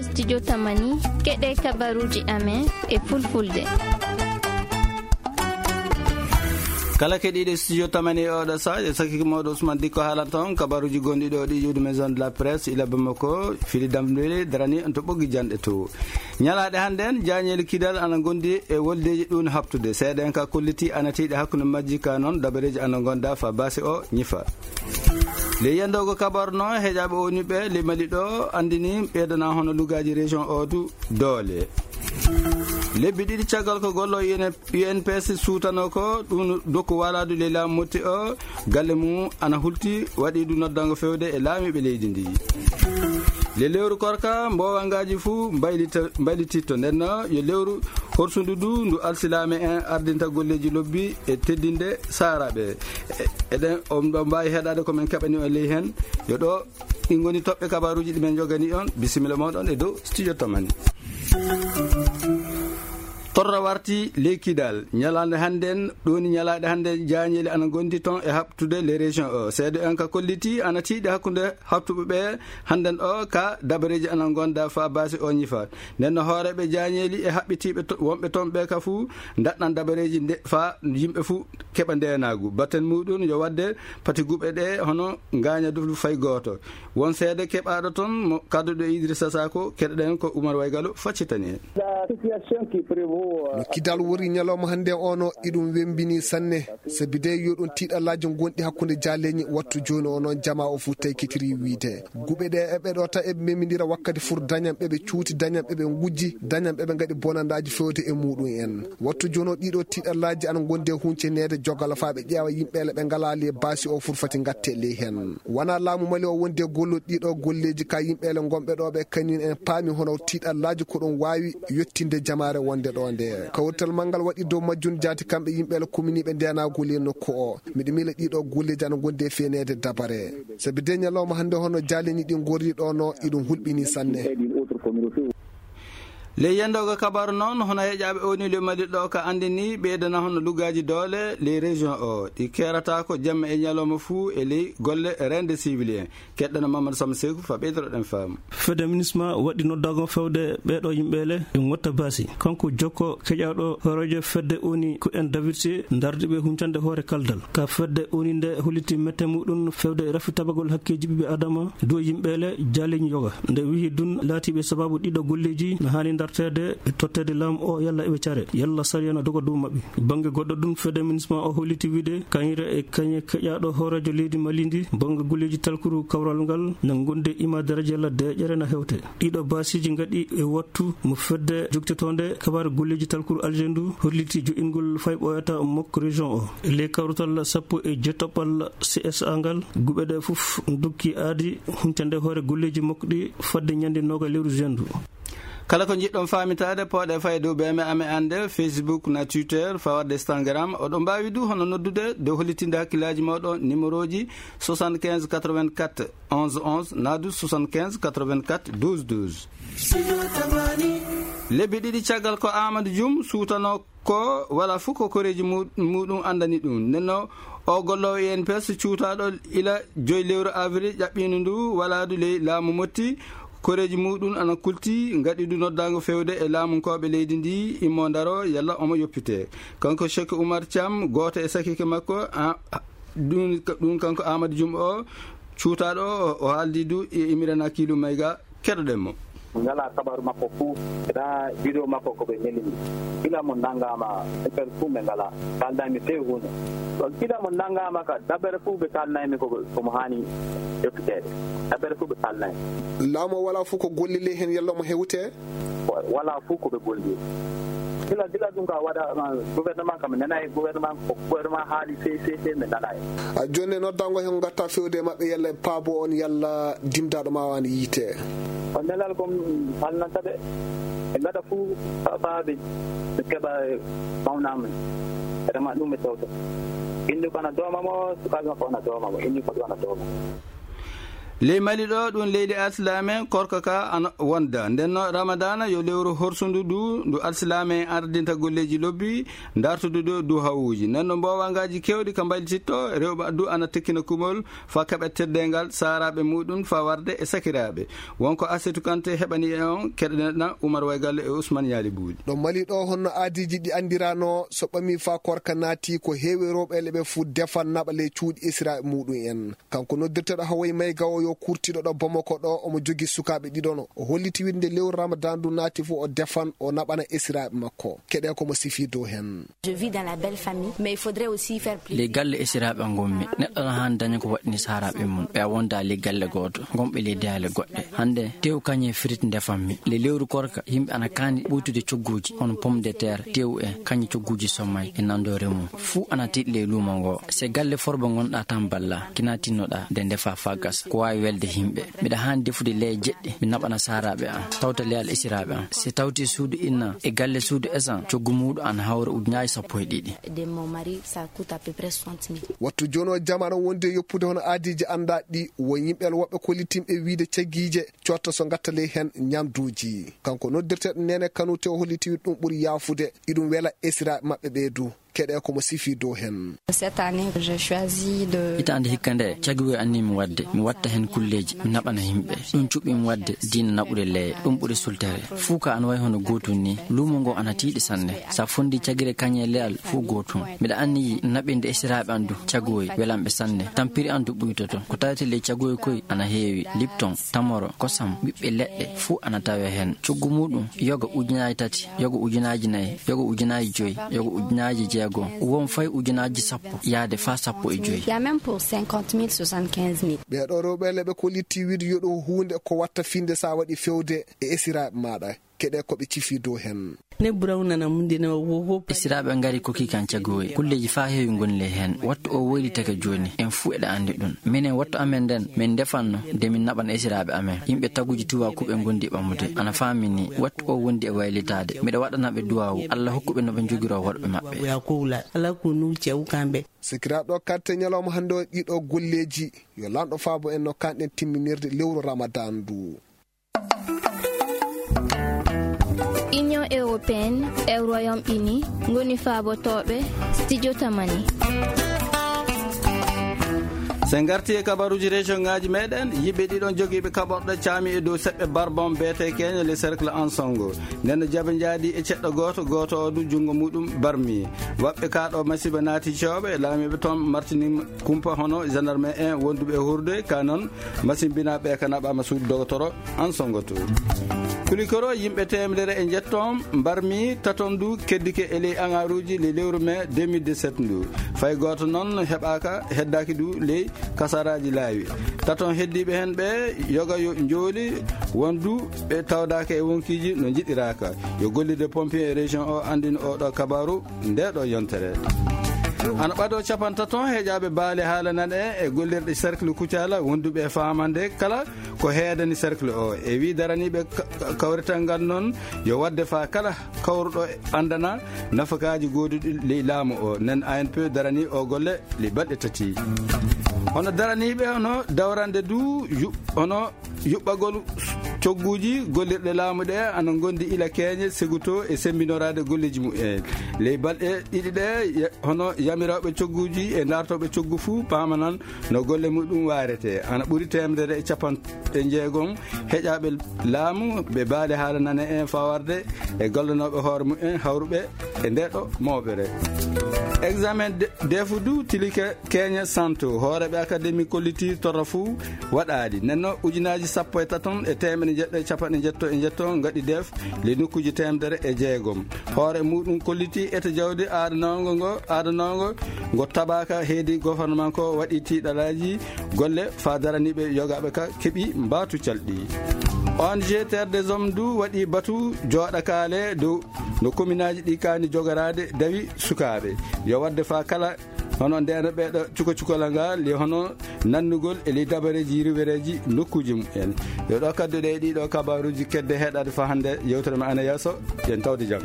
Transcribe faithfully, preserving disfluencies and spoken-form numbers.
Studio Tamani, keɗe kabaruji amen e fulfulde. Kala keɗiiɗo studio Tamani e oɗo saha, e sakiki mawɗo Ousmane Dikko haalanta on kabaruji gonɗi ɗo ɗi ƴuwdi maison de la presse ila Bamako, fili damɗiri darani on to ɓoggi janɗe to. Ñalaaɗe hannde en, jaañeeli kidal ana ngondi e woldeeji ɗun haɓtude. Seeɗa en ka kolliti ana tiiɗi hakkunde majji ka non dabareeji ana ngonda fa baasi o ñifa. Ley yandoogo kabaru no heƴaaɓe O N U ɓe ley Mali ɗo anndini ɓeydana hono lugaaji région o du doole. Lebbi ɗiɗi caggal ko gollo U N P S suutano ko ɗun dokku walaadu ley laamu motti o, galle mum ana hulti, waɗi ɗum noddango fewde e laamiiɓe leydi ndi. Le lewru korka, mbowangaaji fuu mbaylita-, mbaylititto. Nden no yo lewru horsundu du ndu alsilaame en ardinta golleeji lobbi e teddinde saaraaɓe. E-, eɗen, on ɗo mbaawi heɗaade ko men keɓani on ley heen. Yo ɗo ɗi ngoni toɓɓe kabaruuji ɗi men njogani on. Bisimilla mooɗon e dow studio Tamani. Torra warti ley Kidal. Ñalaande hannden, ɗoni ñalaaɗe hannden, jaañeeli ana ngondi ton e haɓtude les régions o. Seedo en ka kolliti ana tiiɗi hakkunde haɓtuɓe ɓe hannden o ka dabareeji ana ngonda fa baasi o ñifa. Nden no hooreeɓe jaañeeli e haɓɓitiiɓe to-, wonɓe ton ɓe ka fuu ndaɗɗan dabareeji nde fa yimɓe fuu keɓa ndeenaagu. Batten muɗum yo waɗde pati guɓe ɗe hono ngaaña du fay gooto. Won seede keɓaaɗo ton mo kadduɗo Idrissa Sako, keɗoɗen ko Oumar Waygalo faccitani en. La situation qui prévaut, euh, no Kidal wori ñalawma hannde o no iɗum wembini sanne, sabi de yo ɗum tiiɗallaaji ngonɗi hakkunde jaaleeñi wattu jooni o noon jamaa o fuu taykitiri wiide. Guɓe ɗe eɓe ɗo ta eɓe memindira wakkati fur dañan ɓe ɓe cuuti, dañan ɓe ɓe ngujji, dañan ɓe ɓe ngaɗi bonandaaji fewde e muɗum en. Wattu jooni o ɗiɗo tiiɗallaaji ana ngondi e hunceneede jogala faa ɓe ƴeewa yimɓeele ɓe ngalaa ley baasi o fur fati ngatte ley heen. Wonaa laamu Mali o wondi e gollude ɗiɗo golleeji ka yimɓeele ngonɓe ɗo ɓe kañum en paami hono tiiɗallaaji ko ɗum waawi yettinde jamaare wonde ɗo nde. Kawrital manngal waɗi dow majjum jaati kamɓe yimɓeele kuminiiɓe ndeenaagu ley nokku o. Miɗo miila ɗiɗo golleeji ana ngondi e feeneede dabare. Sabi de ñalawma hannde hono jaaleeñi ɗi ngorri ɗo no iɗum hulɓini sanne. Ley yendoogo kabaru noon, hono heƴaaɓe O N U ley Mali ɗo ka anndini ɓeydana hono lugaaji doole ley région o. Ɗi keerata ko jamma e ñalawma fuu e ley golle reende civil en. Keɗɗana Mamadou Samba Seku fa ɓeydoɗen faamu. Fedde MINUSMA waɗi noddaango fewde ɓeeɗo yimɓeele ɓe ngotta baasi. Kanko jokko keƴaaɗo hooreejo fedde O N U ko en David Sy, ndardi ɓe huncande hoore kaldal. Ka fedde O N U nde holliti mette muɗum fewde rafi tabagol hakkeeji ɓiɓɓe Adama dow yimɓeele jaaleeñi yoga. Nde wihi dun laatiiɓe sababu ɗiɗo golleeji no haani ndarteede e totteede laamu o yalla eɓe care, yalla sariya no doga dow maɓɓe. Bannge goɗɗo ɗum, fedde MINUSMA o holliti wiide kañre e kañe keƴaaɗo hooreejo leydi Mali ndi, bannge golleeji talkuru kawral ngal na ngonde ima daraja la deeƴere na hewte. Ɗiɗo baasiiji ngaɗi e wattu mo fedde jogtotoonde kabaare golleeji talkuru Alger ndu holliti joɗɗingol fay ɓooyata mokko région o. E ley kawrutal sappo e jettaɓal C S A ngal, guɓe ɗe fof ndokki aadi huncande hoore golleeji makko ɗi fadde ñande nooga lewru juin ndu. Kala ko njiɗɗon faamitaade, pooɗe fay dow B M A amen annde, Facebook na Twitter, faa waɗde Instagram. Oɗon mbaawi du hono noddude dow hollitinde hakkillaaji mooɗon, numéroji soixante-quinze quatre-vingt-quatre onze onze, naa du soixante-quinze quatre-vingt-quatre douze douze. Lebbi ɗiɗi caggal ko Amadou Dioum suutanoo ko wala fof ko koreeji mu-, muɗum anndani ɗum. Nden no o golloowo E N P S cuutaaɗo ila joy lewru avril ƴaɓɓiino ndu walaadu ley laamu motti. Koreeji muɗum ana kulti, ngaɗi ndu noddaango fewde e laamunkooɓe leydi ndi, immo ndaro yalla omo yoppite. Kanko Cheikh Oumar Thiam, gooto e sakiike makko, a, a, ɗum, ɗum kanko Amadou Dioum o, cuutaaɗo o, o haaldi du e Imrana Kilu Mayga. Keɗoɗen mo. Min ngalaa kabaaru makko fuu, ena vidéo makko ko ɓe neli mi. Gila mo nanngaama, affaire fuu min ngalaa. Kaalnaa mi few huunde. Ɗon gila mo nanngaama ka dabere fuu ɓe kaalnaa mi ko, ko mo haani yoppiteede. Dabere fuu ɓe kaalnaa mi. Laamu o walaa fuu ko golli ley heen yalla mo hewte? Wa-, walaa fuu ko ɓe golli. Gila, gila ɗum ka waɗa, ma, gouvernement kam, mi nanaay gouvernement, ko gouvernement haali few, few, few, mi nanaay. A jooni noddaango heen ngatta fewde e maɓɓe yalla ɓe paabo on yalla dimdaaɗo ma waani yiite. On nelal ko haalnanta ɓe. Ɓe ngaɗa fuu fa-, faa ɓe, ɓe keɓa mawnaa men. Ɓe rema ɗum ɓe tawta. Ɓiɗɗo ko ana dooma mo, sukaaɓe makko ana dooma mo, ɓiɗɗo ko ana dooma. Ley Mali ɗo, ɗum leydi alsilaame, korka ka ana wonda. Nden no Ramadana yo lewru horsundu du, ndu alsilaame en ardinta golleeji lobbi, dartudu du, du hawuuji. Nden no mboowangaaji kewɗi ka mbaylititto, rewɓe du ana tekkina kumol, fa keɓa teddeengal saaraaɓe muɗum, fa warde e sakiraaɓe. Wonko Asetu Kante heɓani e on, keɗaneɗa Umar Waygal e Usman Yaali Buuɗi. Ɗo Mali ɗo, honno aadiiji ɗi anndirano, so ɓami fa korka naati, ko heewi rewɓe le ɓe fu defan naɓa ley cuuɗi esiraaɓe muɗum en. Kanko noddirteɗo Hawaii Maïga o yo kurtiɗo ɗo Bamako ɗo, omo jogi sukaaɓe ɗiɗo no. O holliti winde lewru Ramadan ndu naati fu o defan, o naɓana esiraaɓe makko. Keɗe ko mo sifi dow hen. Je vis dans la belle famille, mais il faudrait aussi faire plus. Ley galle esiraaɓe am ngonmi. Neɗɗo no haani daña ko waɗɗini saaraaɓe mum. Ɓe a wonda ley galle gooto, ngonɓe ley dehale goɗɗe. Hannde, tew kañe frit ndefammi. Ley lewru korka, yimɓe ana kaani ɓuytude cogguuji, hono pomme de terre, tew e kañe cogguuji sommay e nanndo remum. Fuu ana tiiɗi ley luumo ngo. Se galle forbo ngonɗa tan balla, kina tinnoɗa nde ndefa fa gasa. Ko waawi welde yimɓe. Miɗa haani defude leeƴe jeɗɗi, mi naɓana saaraaɓe am, tawta leyal esiraaɓe am. Se tawti suudu inna e galle suudu esan, coggu muuɗum ana hawra ujunaaji sappo e ɗiɗi. De mon mari, ça coûte à peu près soixante mille. Wattu jooni o jamaano wonde yoppude hono aadiiji anndaa ɗi, won yimɓe woɓɓe kollitinɓe wiide caggiije cotta so ngatta ley hen ñamduuji. Kanko noddirteɗo Nene Kanute o holliti ɗum ɓuri yaafude, iɗum wela esiraaɓe maɓɓe ɓee du. Keɗe ko mo sifi dow hen. Cette année, j'ai choisi de... Hitaande hikka nde, cagiwoy anni mi waɗde, mi watta hen kulleeji, mi naɓana yimɓe. Ɗum cuɓi mi waɗde diina naɓude leeƴe, ɗum ɓuri sultere. Fuu ka ana wayi hono gootum ni, luumo ngo ana tiiɗi sanne. Sa fondi cagire kañe leyal fuu gootum. Miɗa anniyi naɓinde esiraaɓe an du, cagoy welanɓe sanne. Tampiri an du ɓuytoto. Ko tawete ley cagoy koy ana heewi, Lipton, tamoro, kosam, ɓiɓɓe leɗɗe, fuu ana tawe hen. Coggu muuɗum, yoga ujunaaji tati, yoga ujunaaji nayi, yoga ujunaaji joyi, yoga ujunaaji jeego, won fay ujunaaji sappo, yaade faa sappo e joyi. Il y a même pour cinquante mille, soixante-quinze mille. Ɓee ɗo rewɓe le ɓe kollitii wiide yo ɗo huunde ko watta finde sa waɗi fewde e esiraaɓe maaɗa. Keɗe ko ɓe cifi dow hen. Ne burawna na munde na wo wo. Esiraaɓe ngari koki kan cagoy. Kulleeji faa heewi ngoni ley hen. Wattu o woylitake jooni. En fuu eɗa anndi ɗum. Minen wattu amen nden, min ndefanno, de min naɓan esiraaɓe amen. Yimɓe taguji tuwa kuɓe ngondi ɓamude. Ana faami ni, wattu o wondi e waylitaade. Miɗa waɗana ɓe duwaawu. Alla hokku ɓe no ɓe njogiroo worɓe maɓɓe. Ya kowla, ala ko nu cew kamɓe. Sikiraaɗo katte ñalawma hannde o ɗiɗo golleeji. Yo lanɗo faabo en no kanɗen timminirde lewru Ramadan ndu. Union européenne e Royaume-Uni ngoni faabotooɓe Studio Tamani. Sen ngarti e kabaruuji région ngaaji meɗen, yimɓe ɗiɗon jogiiɓe kaɓorɗe caami e dow seɓɓe Barbon beete Kenya le cercle Ansongo. Nden no jaɓe njaadi e ceɗɗo gooto, gooto o du junngo muɗum barmi. Waɓɓe kaa ɗo masiiba naati cooɓe, laamiiɓe toon martini kumpa hono gendarme en wonduɓe e hurde, ka noon masimbinaaɓe ka naɓaama suudu dogotoro Ansongo to. Kulikoro yimɓe teemedere e njetto mbarmi taton du keddike e ley aŋaaruuji le lewru mai deux mille dix-sept ndu. Fay gooto noon heɓaaka, heddaaki du ley kasaraaji laawi. Taton heddiiɓe heen ɓe yoga yo njooli wondu ɓe tawdaaka e wonkiiji no njiɗiraaka. Yo gollirde pompier e région o anndin oo ɗo kabaaru. Nde ɗo yontere. Ana ɓado capantato heƴaaɓe baale haala nan e, e gollirɗe cercle Kucala wonduɓe e faamande kala ko heedani cercle o. E wi daraniiɓe ka-, ka-, kawrital ngal noon yo wadde faa kala kawruɗo anndana nafakaaji gooduɗi ley laamu o. Nen A N P darani o golle ley balɗe tati. Hono daraniiɓe hono dawrande du yu-, hono yuɓɓagol cogguuji gollirɗe laamu ɗe ana ngondi ila keeñe seguto e semmbinoraade golleeji mumen. Ley balɗe ɗiɗi ɗe, ya-, hono yamirooɓe cogguuji e daartooɓe coggu fuu paamanan no golle muɗum waarete. Ana ɓuri teemedere e capanɗe jeegom heƴaaɓe laamu ɓe baale haala nane en fawarde e gollanooɓe hoore mumen hawruɓe e nde ɗo mooɓere. Examen de-, defu du tilike Kenya Santo, hooreeɓe akademi kolliti torra fuu waɗaali. Nenno ujunaaji sappo e taton e teemeɗe jeɗɗo e capanɗe njetto e njetto ngaɗi def le nokkuuji teemedere e jeegom. Hoore muɗum kolliti ete jawdi aadanoongo ngo, aadanoongo ngo tabaaka heedi gouvernement ko waɗi tiiɗalaaji golle faa daraniiɓe yogaaɓe ka keɓi mbaatu calɗi. O N G Terre des Hommes du waɗi batu jooɗakaale dow no kominaaji ɗi kaani jogoraade dawi sukaaɓe. Yo waɗde faa kala hono ndeen ɓeeɗo cuka cukalal ngal, e hono nannugol e ley dabareeji riwereeji nokkuuji mumen. Yo ɗo kaddu ɗe ɗiɗo kabaaruuji kedde heɗaade faa hannde yewtere men ana yeeso, yen tawde jam.